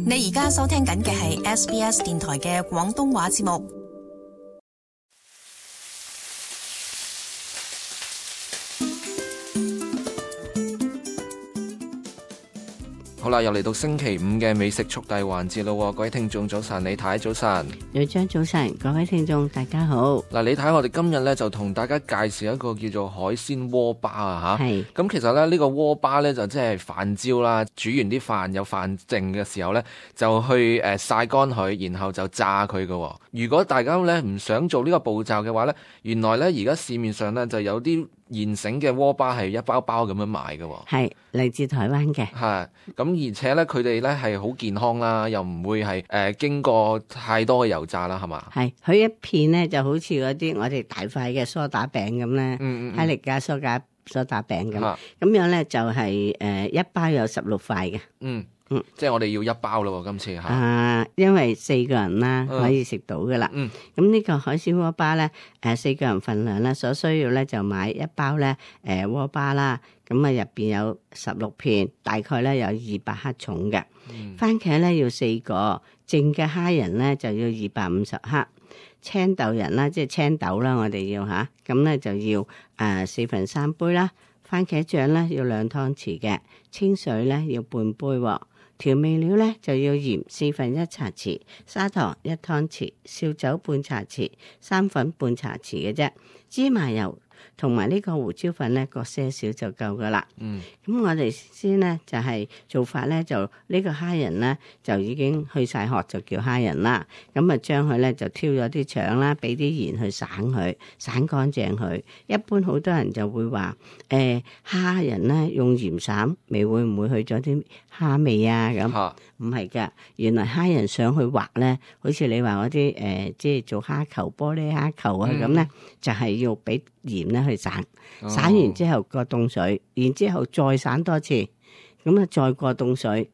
你而家收聽緊嘅係 SBS 電台嘅廣東話節目。好啦，又嚟到星期五嘅美食速遞環節咯，各位聽眾早晨，李太早晨，女張早晨，各位聽眾大家好。嗱，李太，我哋今日咧就同大家介紹一個叫做海鮮鍋巴啊吓。係。咁其實咧呢個鍋巴咧就即係飯焦啦，煮完啲飯有飯剩嘅時候咧，就去曬乾佢，然後就炸佢㗎。如果大家咧唔想做呢個步驟嘅話咧，原來咧而家市面上咧就有啲現成嘅鍋巴係一包包咁樣賣嘅。係嚟自台灣嘅。係。咁而且咧佢哋咧係好健康啦，又唔會係經過太多嘅油炸啦，係嘛？係。佢一片咧就好似嗰啲我哋大塊嘅梳打餅咁咧，哈力加梳打餅咁。咁樣咧就係一包有16塊嘅。即係我哋要一包咯，今次嚇。因為4個人啦，可以食到噶啦。咁呢個海鮮鍋巴咧，4個人份量咧，所需要咧就買一包咧鍋巴啦。咁啊入邊有16片，大概咧有200克重嘅。番茄咧要4個，淨嘅蝦仁咧就要250克。青豆仁啦，即係青豆啦，我哋要嚇。咁咧就要3/4杯啦。番茄醬咧要2湯匙嘅，清水咧要半杯喎。調味料咧就要鹽1/4茶匙，砂糖1湯匙，紹酒半茶匙，生粉半茶匙嘅啫。芝麻油同埋呢個胡椒粉咧各些少就夠噶啦。咁我哋先咧就係做法咧就呢個蝦仁咧就已經去晒殼就叫蝦仁啦。咁啊將佢咧就挑咗啲腸啦，俾啲鹽去散佢，散乾淨佢。一般好多人就會話蝦仁咧用鹽散味會唔會去咗啲蝦味啊？咁唔係㗎，原來蝦仁上去滑咧，好似你話嗰啲即係做蝦球、玻璃蝦球啊咁咧，就係要俾鹽咧去散，散完之後過凍水，然之後再散多次，咁啊再過凍水，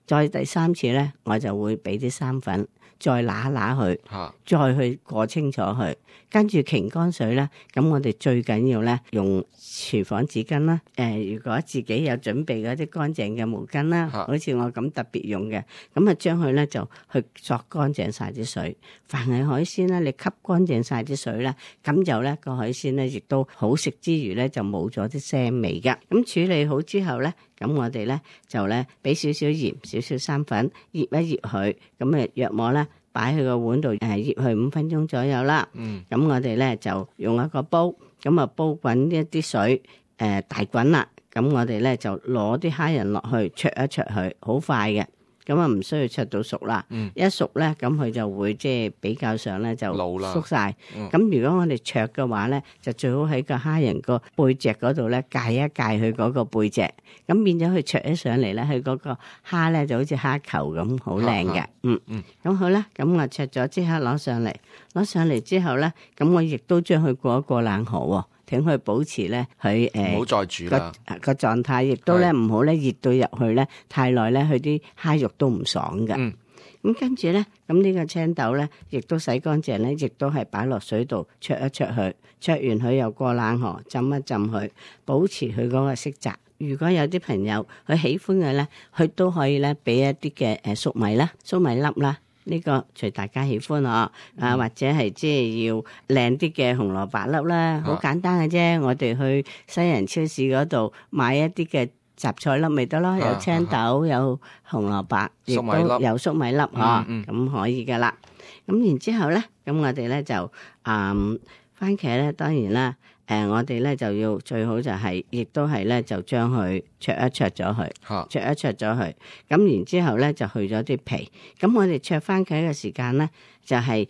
再第3次咧，我就會俾啲生粉，再揦佢，再去過清楚佢，跟住擎乾水咧。咁我哋最緊要咧用廚房紙巾啦。如果自己有準備嗰啲乾淨嘅毛巾啦，好似我咁特別用嘅，咁啊將佢咧就去索乾淨晒啲水。凡係海鮮咧，你吸乾淨晒啲水咧，咁就咧個海鮮咧亦都好食之餘咧就冇咗啲腥味㗎。咁處理好之後咧，咁我哋咧就咧俾少少鹽、少少生粉，醃一醃佢，咁啊約莫咧擺去個碗度醃佢5分鐘左右啦。咁我哋咧就用一個煲，咁啊煲滾一啲水，大滾啦。咁我哋咧就攞啲蝦仁落去灼一灼佢，好快嘅。咁啊唔需要灼到熟啦。一熟咧，咁佢就會即係比較上咧就縮晒。咁如果我哋灼嘅話咧，就最好喺個蝦仁個背脊嗰度咧界一界佢嗰個背脊，咁變咗佢灼起上嚟咧，佢嗰個蝦咧就好似蝦球咁，好靚嘅。咁好啦，咁我灼咗即刻攞上嚟之後咧，咁我亦都將佢過一過冷河喎。請佢保持咧佢唔好再煮啦個狀態，亦都咧唔好咧熱到入去咧太耐咧，佢啲蝦肉都唔爽嘅。咁跟住咧，咁呢個青豆咧，亦都洗乾淨咧，亦都係擺落水度焯一焯佢，焯完佢又過冷河浸一浸佢，保持佢嗰個色澤。如果有啲朋友佢喜歡嘅咧，佢都可以咧俾一啲嘅粟米啦、粟米粒啦。呢個隨大家喜歡或者係即係要靚啲嘅紅蘿蔔粒啦，好簡單嘅啫。我哋去西人超市嗰度買一啲嘅雜菜粒咪得咯，有青豆、有紅蘿蔔，亦都有粟米粒咁可以噶啦。咁然之後咧，咁我哋咧就番茄咧，當然啦。我哋咧就要最好就係，亦都係咧就將佢灼一灼咗佢，灼一灼咗佢。咁然之後咧就去咗啲皮。咁我哋灼番茄嘅時間咧就係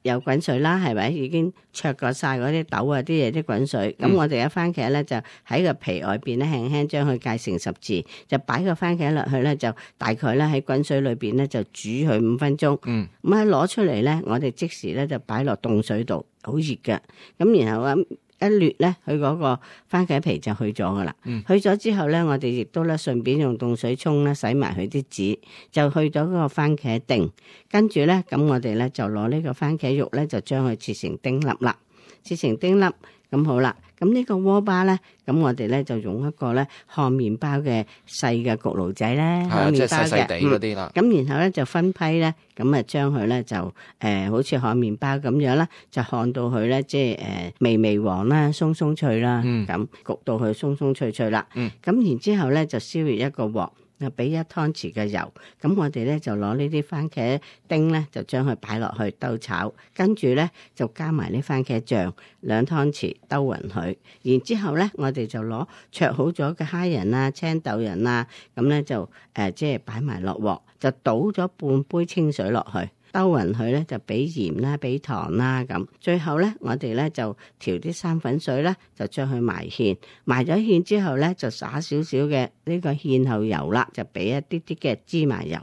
有滾水啦，係咪？已經灼過晒嗰啲豆啊啲嘢啲滾水。咁我哋嘅番茄咧就喺個皮外邊咧輕輕將佢界成十字，就擺個番茄落去咧，就大概咧喺滾水裏邊咧就煮佢5分鐘。咁喺攞出嚟咧，我哋即時咧就擺落凍水度，好熱嘅。咁然後一掠咧，佢嗰個番茄皮就去咗噶啦。去咗之後咧，我哋亦都咧順便用凍水沖咧洗埋佢啲籽，就去咗嗰個番茄丁。跟住咧，咁我哋咧就攞呢個番茄肉咧，就將佢切成丁粒啦。切成丁粒，咁好啦，咁呢個鍋巴咧，咁我哋咧就用一個咧烘麵包嘅細嘅焗爐仔咧，烘麵包嘅，即係細細地嗰啲啦。咁然後咧就分批咧，咁啊將佢咧就好似烘麵包咁樣啦，就烘到佢咧即係微微黃啦，鬆鬆脆啦，咁焗到佢鬆鬆脆脆啦。咁然之後咧就燒熱一個鑊。就俾1湯匙嘅油，咁我哋咧就攞呢啲番茄丁咧，就將佢擺落去兜炒，跟住咧就加埋呢番茄醬2湯匙兜勻佢，然之後咧我哋就攞焯好咗嘅蝦仁啊、青豆仁啊，咁咧就即係擺埋落鑊，就倒咗半杯清水落去。兜勻佢咧就俾鹽啦，俾糖啦咁，最後咧我哋咧就調啲生粉水啦，就將佢埋芡，埋咗芡之後咧就灑少少嘅呢個芡後油啦，就俾一啲啲嘅芝麻油。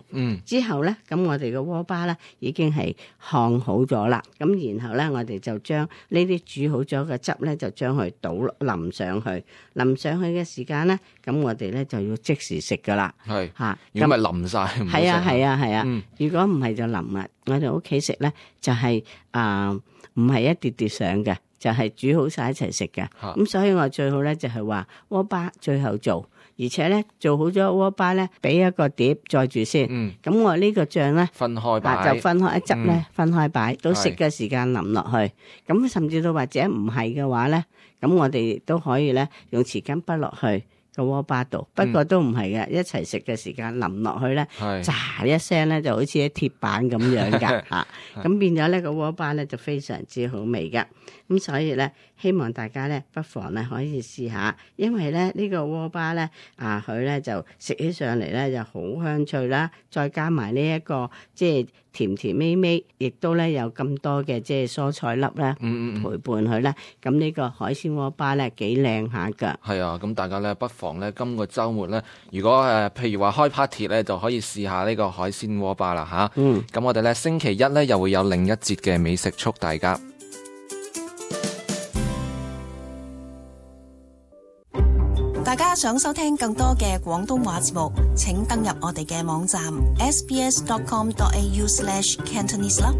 之後咧咁我哋嘅鍋巴咧已經係烘好咗啦，咁然後咧我哋就將呢啲煮好咗嘅汁咧就將佢淋上去，淋上去嘅時間咧咁我哋咧就要即時食噶啦。係嚇，如果咪淋晒，係啊，如果唔係就淋啦。我哋屋企食咧就係唔係一碟碟上嘅，就係煮好晒一齊食嘅。咁所以我最好咧就係話鍋巴最後做，而且咧做好咗鍋巴咧，俾一個碟載住先。咁我呢個醬咧分開擺，就分開一汁咧分開擺，到食嘅時間淋落去。咁甚至到或者唔係嘅話咧，咁我哋都可以咧用匙羹筆落去個鍋巴度，不過都唔係嘅，一齊食嘅時間淋落去咧，喳一聲咧就好似啲鐵板咁樣噶嚇，咁變咗呢個鍋巴咧就非常之好味噶，咁所以咧希望大家咧不妨咧可以試下，因為咧呢個鍋巴咧佢咧就食起上嚟咧就好香脆啦，再加埋呢一個即係甜甜味味，亦都咧有咁多嘅即係蔬菜粒咧陪伴佢咧，咁呢個海鮮鍋巴咧幾靚下噶。係啊，咁大家咧不妨咧今個週末咧，如果譬如話開 party 咧，就可以試下呢個海鮮鍋巴啦嚇。咁我哋咧星期一咧又會有另一節嘅美食速遞㗎。大家想收聽更多嘅廣東話節目，請登入我哋嘅網站 sbs.com.au/cantonese 啦。